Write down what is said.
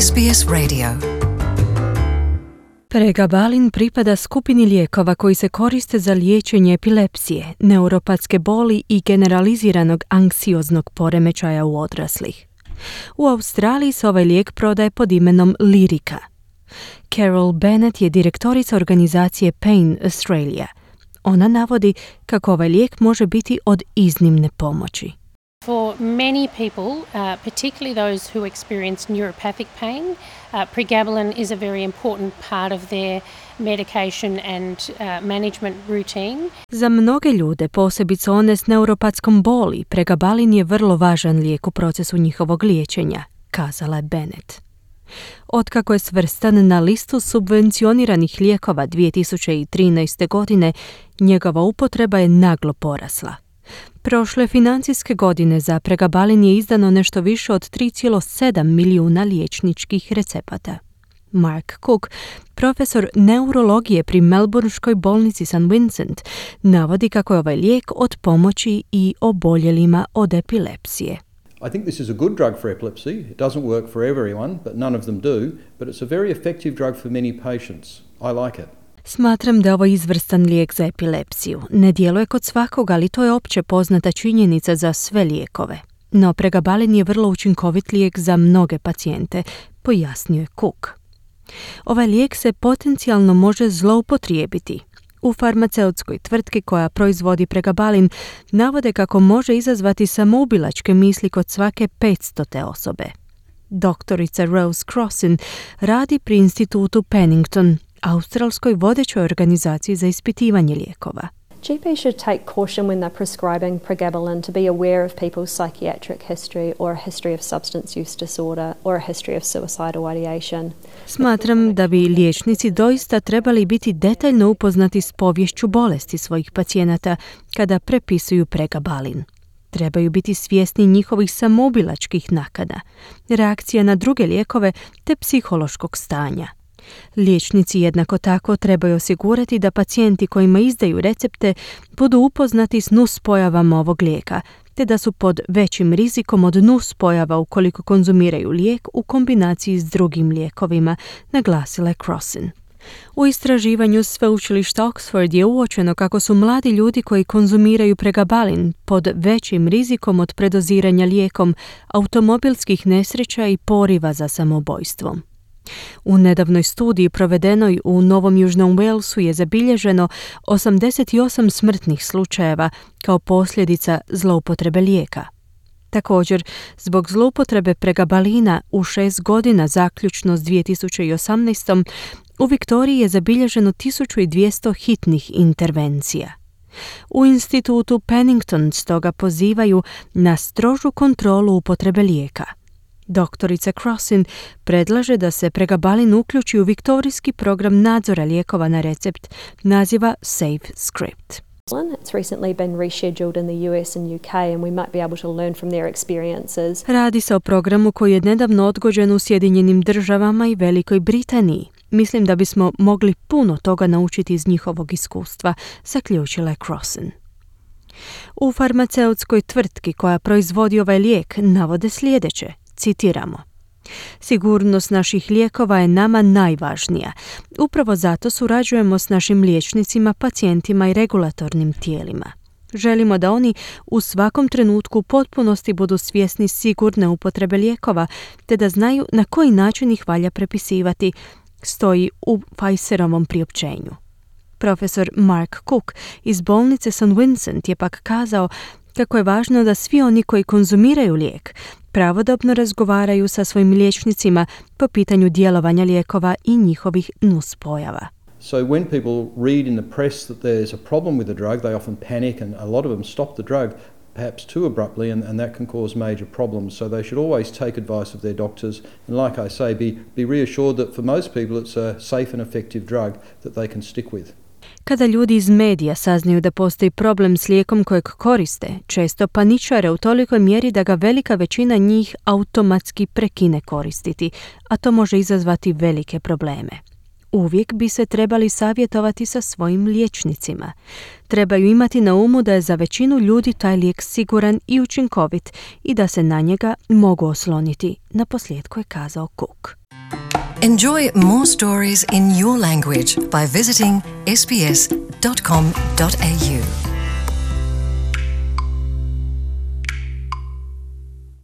SBS Radio. Pregabalin pripada skupini lijekova koji se koriste za liječenje epilepsije, neuropatske boli i generaliziranog anksioznog poremećaja u odraslih. U Australiji se ovaj lijek prodaje pod imenom Lyrica. Carol Bennett je direktorica organizacije Pain Australia. Ona navodi kako ovaj lijek može biti od iznimne pomoći. For many people, particularly those who experience neuropathic pain, pregabalin is a very important part of their medication and management routine. Za mnoge ljude, posebice one s neuropatskom boli, pregabalin je vrlo važan lijek u procesu njihovog liječenja, kazala je Bennett. Otkako je svrstan na listu subvencioniranih lijekova 2013. godine, njegova upotreba je naglo porasla. Prošle financijske godine za pregabalin je izdano nešto više od 3,7 milijuna liječničkih recepata. Mark Cook, profesor neurologije pri Melbourneškoj bolnici St. Vincent, navodi kako je ovaj lijek od pomoći i oboljelima od epilepsije. I think this is a good drug for epilepsy. It doesn't work for everyone, but none of them do, but it's a very effective drug for many patients. I like it. Smatram da je ovo izvrstan lijek za epilepsiju. Ne djeluje kod svakog, ali to je opće poznata činjenica za sve lijekove. No pregabalin je vrlo učinkovit lijek za mnoge pacijente, pojasnio je Cook. Ovaj lijek se potencijalno može zloupotrijebiti. U farmaceutskoj tvrtki koja proizvodi pregabalin navode kako može izazvati samoubilačke misli kod svake 500. osobe. Doktorica Rose Crossin radi pri institutu Pennington, australskoj vodećoj organizaciji za ispitivanje lijekova. GPs should take caution when they're prescribing pregabalin to be aware of people's psychiatric history or a history of substance use disorder or a history of suicidal ideation. Smatram da bi liječnici doista trebali biti detaljno upoznati s poviješću bolesti svojih pacijenata kada prepisuju pregabalin. Trebaju biti svjesni njihovih samoubilačkih nakana, reakcija na druge lijekove te psihološkog stanja. Liječnici jednako tako trebaju osigurati da pacijenti kojima izdaju recepte budu upoznati s nuspojavama ovog lijeka, te da su pod većim rizikom od nuspojava ukoliko konzumiraju lijek u kombinaciji s drugim lijekovima, naglasila je Crossin. U istraživanju sveučilišta Oxford je uočeno kako su mladi ljudi koji konzumiraju pregabalin pod većim rizikom od predoziranja lijekom, automobilskih nesreća i poriva za samoubojstvom. U nedavnoj studiji provedenoj u Novom Južnom Walesu je zabilježeno 88 smrtnih slučajeva kao posljedica zloupotrebe lijeka. Također, zbog zloupotrebe pregabalina u 6 godina zaključno s 2018. u Viktoriji je zabilježeno 1200 hitnih intervencija. U institutu Pennington stoga pozivaju na strožu kontrolu upotrebe lijeka. Doktorica Crossin predlaže da se pregabalin uključi u viktorijski program nadzora lijekova na recept naziva Safe Script. It's recently been rescheduled in the US and UK and we might be able to learn from their experiences. Radi se o programu koji je nedavno odgođen u Sjedinjenim Državama i Velikoj Britaniji. Mislim da bismo mogli puno toga naučiti iz njihovog iskustva, zaključila je Crossin. U farmaceutskoj tvrtki koja proizvodi ovaj lijek navode sljedeće, citiramo: sigurnost naših lijekova je nama najvažnija. Upravo zato surađujemo s našim liječnicima, pacijentima i regulatornim tijelima. Želimo da oni u svakom trenutku u potpunosti budu svjesni sigurne upotrebe lijekova, te da znaju na koji način ih valja prepisivati, stoji u Pfizerovom priopćenju. Profesor Mark Cook iz bolnice St. Vincent je pak kazao kako je važno da svi oni koji konzumiraju lijek pravodobno razgovaraju sa svojim liječnicima po pitanju djelovanja lijekova i njihovih nuspojava. So when people read in the press that there's a problem with the drug, they often panic and a lot of them stop the drug perhaps too abruptly and that can cause major problems. So they should always take advice of their doctors and like I say, be reassured that for most people it's a safe and effective drug that they can stick with. Kada ljudi iz medija saznaju da postoji problem s lijekom kojeg koriste, često paničare u tolikoj mjeri da ga velika većina njih automatski prekine koristiti, a to može izazvati velike probleme. Uvijek bi se trebali savjetovati sa svojim liječnicima. Trebaju imati na umu da je za većinu ljudi taj lijek siguran i učinkovit i da se na njega mogu osloniti, naposljetku je kazao Cook. Enjoy more stories in your language by visiting sbs.com.au.